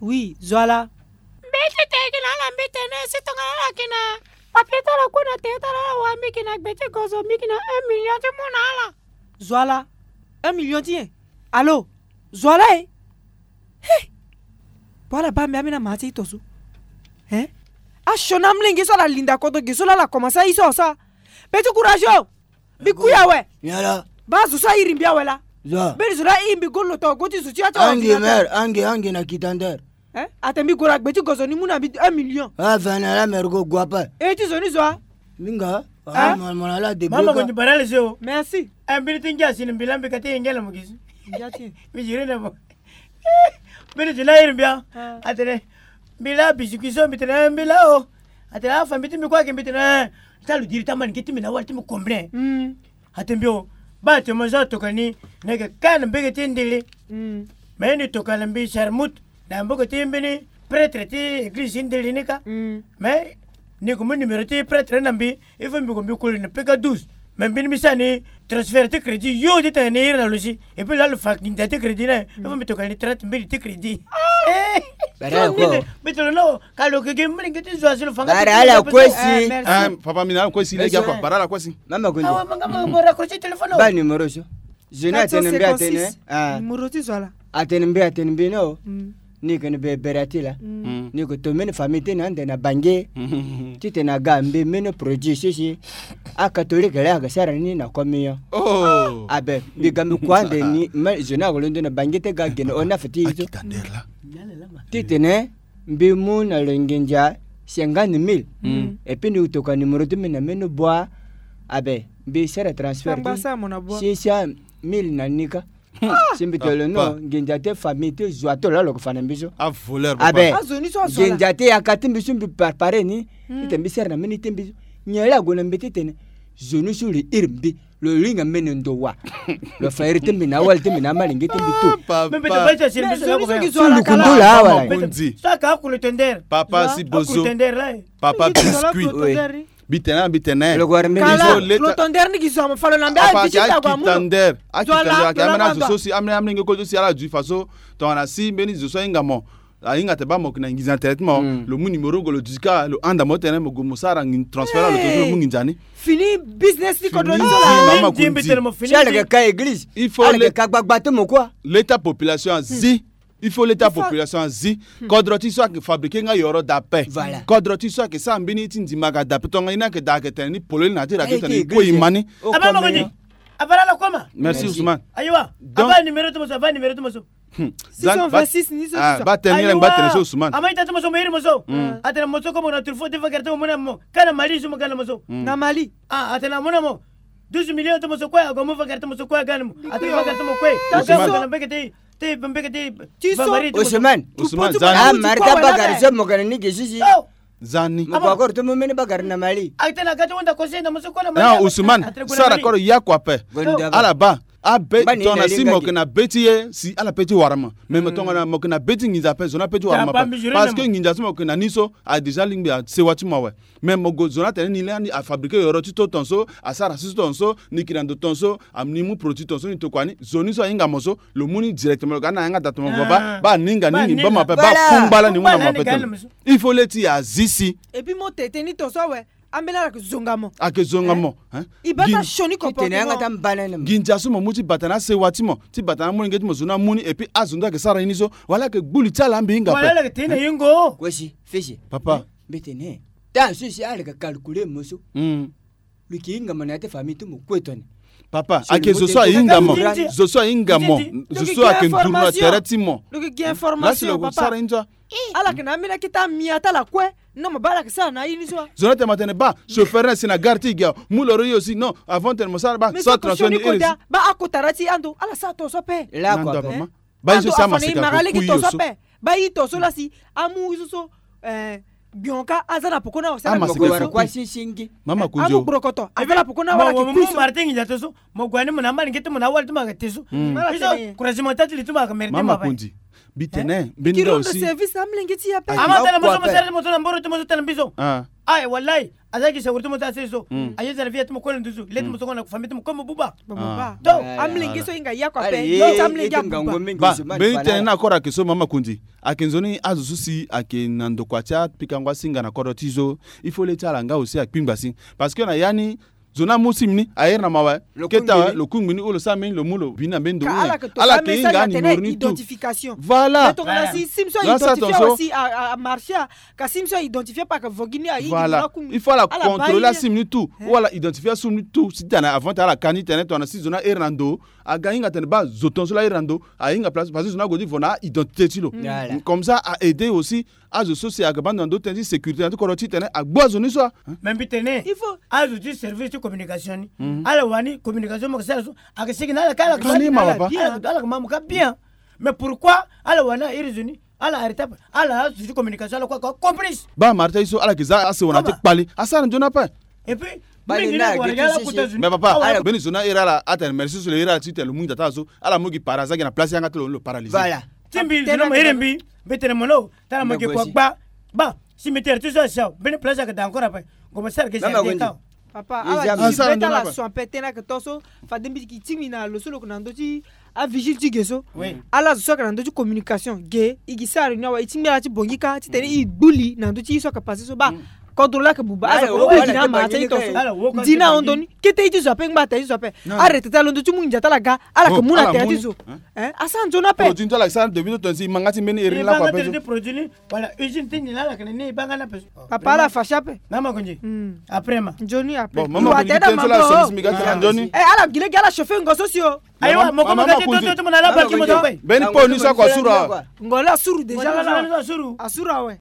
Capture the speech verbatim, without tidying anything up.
Oui, zo ala. Mbi ti tene gi na ala, mbi tene si tongana ala yeke na papier ti ala kue na tere ti ala, ala wara mbi yeke na gbe ti gozo, mbi yeke na un million ti mu na ala. Zo ala. Un million ti nyen? Alo. Zo ala e. He. Bua ala baa mbi ambeni amaa ti e to so. Hein? Asioni amolenge so ala linda kodro ge so laa ala komanse aye so asaa. Petit courage o. Mbi kui awe. Nyen laa? Baa zo so airi mbi awe laa. Zo. Mbeni zo laa airi mbi go loto go ti zo ti ya ti. Angi ordinateur. Mer, angi, angi na kita nder. Hein? Atene mbi gue na gbe ti gozo ni mu na mbi un million. Ah, fene la mer go gue ape. E ti zo ni zo a. Minga. Hein? Ah, mon, mon ala de. Mama ko ni barale se o. Merci. Eh, mbeni ti ngia si ni mbi laa mbi ka ti yengele mo gi si. Ngia ti. Mbi ziri na mo. Mbeni ti na iri mbi a. Ah. Atene mbi laa biscuit so, mbi tene mbi laa o. Atene afa mbi ti mbi kue ayeke, mbi tene, eh, ti aludiri ti amalenge ti mbi na awali ti mbi combien. Mm. Atene mbi o, baa ti mo so atokua ni, ni yeke ka na mbege ti ndili. Mm. Me ni tokua na mbi Charmut, na mboge ti mbeni prêtre ti église ti ndili ni kâ. Mm. Me ni gue mu numéro ti prêtre na mbi, il faut mbi gue mbi koli na P K douze. Me mbeni mbi sara ni transfert ti crédit yo ti tene ni iri na lo si. Et puis laa lo fa nginza ti crédit ni, il faut mbi tokua ni trente mille ti crédit. Eh. Bara ko. Mbi tene lo no, ka lo yeke gi mbi lenge ti zo asi lo fa nga. Bara ala kue si. Eh, merci. Ah, papa, mbi na ala kue si lege akua. Bara ala kue si. Mama ko. Awa, manga mo raccrocher téléphone o. Baa numéro so. Zo ni atene mbi atene. Ah. Numéro ti zo ala. Atene mbi atene mbi no. Mm. Ni yeke ni be bere ti la. Mm. Ni yeke to mbeni famille ti ni ande na Bange. Mm. Titene aga mbi mbeni produit so si acatholique laa ayeke sara ni na communion. Oh. Abe, mbi ga mbi kua ande ni, ma, zo ni ayeke londo na Bange ti ga gene O neuf ti ye so. Titene mbi mu na lo nginza cinquante mille. Mm. Et puis ni tokua numéro ti mbi na mbeni boi. Abe, mbi sara transfert ti six cent mille na ni kâ. Si mbi tene lo no, nginza ti famille ti zo ato laa lo yeke fa na mbi so. Abe, nginza ti yaka ti mbi so mbi préparer ni. Titene mbi sara na mbeni ti mbi so. Nyen laa ague na mbi titene zo ni so lo iri mbi. Lo hinga mbeni ndo wa. Lo fa iri ti mbi na awali ti mbi na amalenge ti mbi tu. Papa. So lo kundu laa wala. Papa si bozo. Papa biscuit. Mbi tene, mbi tene. Lo tondere ni gi zo amo fa lo na mbi. Akitandere. Akitandere ake ambeni azo so si ambeni amolenge koli so si ala zui fa so. Tongana si mbeni zo so ahinga mo. Ahinga te baa mo yeke na nginza na tere ti mo. Mm. Lo mu numéro go lo duti kâ, lo handa mo tene mo gue mo sara ngi transfert na lo to so lo mu nginza ni. Fini business ti kodro ni so la. Mama Kundi. Si ala yeke ka église. Il faut ala yeke ka gbagba ti mo kue. L'état population azi. Il faut l'état population azi. Kodro ti so ayeke fabriquer nga yoro dape. Voilà. Kodro ti so ayeke sara mbeni ti ndimaka dape. Tongana ye ni ayeke daa ayeke tene ni polele na ya ti radio tene e kue e ma ni. Aba Makoni. Aba la la koma. Merci Ousmane. Ayiwa. Donc aba numéro ti mo so, aba numéro ti mo so. Hmm. Six cent vingt-six ni so. Ah, ba tene ni la ngba tene so Ousmane. Ama ita ti mo so mo iri mo so. Hmm. Atene mo so ko mo na truffaut ti vagere ti mo mu na mo. Ka na Mali so mo ga na mo so. Hmm. Na Mali. Ah, atene amu na mo douze millions ti mo so kue, ague amu vagere ti mo so kue aga na mo. Atene vagere ti mo kue. Ousmane. Mbeke ti, ti, mbeke ti. Ti so. Ousmane. Ousmane, zani. Ah, mari ta bagari so mo ga na ni ge sisi. Oh. Zani. Mo ko akoro ti mu mbeni bagari na Mali. Atene aga ti hunda conseil na mo so kue na Mali. Non, Ousmane, sara koro ya kua ape. Ala baa. Abe tongana si mo yeke na be ti ye si ala pe ti wara mo. Mais mo tongana mo yeke na be ti nginza ape, zo ni ape ti wara mo ape. Parce que nginza so mo yeke na ni so a déjà lingbi asewa ti mo awe. Mais mo gue zo ni atene ni lani afabriquer yoro ti to tonso, asara si so tonso, ni yeke na ndo tonso, ni mu produit tonso, ni tokua ni, zo ni so ahinga mo so, lo mu ni directement, lo ga ni na yanga daa ti mo baba, baa ni hinga ni, ni baa mo ape, baa kungba lani ni mu na mo ape tene. Il faut le ti azi si. Et puis mo tete ni tonso awe. Ambeni ala yeke zonga mo. Ayeke zonga mo, hein? E baa ta sioni comportement. Nginza so mo mu ti bata na asewa ti mo, ti bata na amolenge ti mo, zo ni amu ni, et puis azo ni ayeke sara ye ni so, wala ayeke gbu li ti ala mbi hinga ape. Wala ala yeke tene na yengo. Kue si, fesi. Papa. Mbi tene. Tant so si ala yeke calculer mo so. Hmm. Lo yeke hinga mo na ya ti famille ti mo kue tone. Papa, ayeke zo so ahinga mo. Zo so ahinga mo. Zo so ayeke nduru na tere ti mo. Lo yeke gi information, papa. Lasi lo yeke sara ye ni so. Ala yeke na ambeni akete amia ti ala kue. Non, mo baa ala yeke sara na ye ni so. Zo ni atene ma tene baa chauffeur ni asi na gare ti e gi awe. Mu loro ye aussi. Non, avant tene mo sara baa sara transfert ni iri. Baa akota na ti ando ala sara tonso ape. Laa kua ape. Baa ye so si amaseka ko ku ye so. Baa ye tonso lasi amu ye so so. Eh, gbionka aza na poko ni awe. Amaseka ko ku. Mama Kunzo. Amu gborokoto aza na poko ni awe, ala yeke ku ye so. Mo gue ni mo na amalenge ti mo na awali ti mo ayeke te so. Ye so croisement ti li ti mo ayeke mérité mo ape. Mama Kunzi. Mbi tene mbeni nga aussi. Service na mlenge ti ya pe. Ama tene mo so mo sere ti mo so na mboro ti mo so tene mbi so. Ah. Aye wallahi. Aza gi sécurité mo so aseri so. Aye zara vie ti mo kue na nduzu. Leti mo so na famille ti mo kue mo buba. Buba. Donc amlenge so hinga ya kua pe. Amlenge abuba. Ba mbeni tene na accord ayeke so mama Kundi. Ayeke nzoni azo so si ayeke na ndokua ti apikango asinga na kodro ti zo. Il faut le ti ala nga aussi akpingba si. Parce que na ya ni zo ni amu sim ni ahere na mawa. Keta awe lo kungbi ni ou lo sara mbeni lo mu lo bi ni na mbeni ndo ni. Ala yeke hinga ni mori ni tout. Voilà. Tongana si sim so a identifie aussi a marché. Ka sim so a identifie pa ka vogi ni ayi. Voilà. Il faut ala contrôler asim ni tout ou ala identifie asim ni tout si tene avant tene ala ka ni tene tongana si zo ni ahere na ndo. Aga hinga tene ba zo tongaso la ahere na ndo. Ahinga place parce que zo ni ague ti vo na a-identité ti lo. Comme ça a aider aussi. Azo so si aga bando na ndo tënë ti sécurité na ti kodro ti tene agbu azo ni so. Mais mbi tene il faut azo ti service ti communication ni ala wani communication mo ke sara so. Ake sigi na ala ka ala ke ma mo ka bien. Mais pourquoi ala wani a iri zo ni ala arrêté ape? Ala azo ti communication ala kue ake complice. Ba marta ye so ala ke za asewa na ti kpale asara nzoni ape. Et puis mais papa mbeni zo ni ahere ala atene merci so lo here ala ti tene lo mu nzata ala so ala mu gi para aza gi na place yanga ti lo ni lo paralysé. Ti mbi zo ni mo here mbi mbi tene mo no tala mo gi kua gba. Ba si mbi tere ti so asi awe mbeni place ayeke daa encore ape. Ngo mo sara gi jardin ka. Papa ala gi mbi tala so ape tene ayeke to so. Fade mbi gi ti mbi na lo so lo yeke na ndö ti avigile ti ge so. Ala zo so ayeke na ndö ti communication ge e gi sara réunion awe e ti ngbi ala ti bongi ka titene e gbu li na ndö ti ye so ayeke passé so ba. Kodro laa yeke buba azo kue e gi na ama ti aye to so. Ndi na ahon ndo ni kete ye ti zo ape ngba ata ye ti zo ape. Arrêté ti alondo ti mu ndia ti ala ga ala yeke mu na tere ti zo. Asara nzoni ape. Produit ni ti ala sara depuis so tonga si e ma nga ti mbeni ere ni lakue ape so. Voilà usine ti nyen ala yeke na ni e baa nga ni ape so. Papa ala fâché ape. Mama Konzi. Après ma nzoni ape. Bon mama Konzi tene so la service mi ga ti na nzoni. Ala gi lege ala chauffer ngo so si o. Ayiwa mo ko mo ga ti toto ti mo na ala baki mo to kue. Mbeni po ni so ako asuru awe. Ngo la asuru déjà la la asuru awe.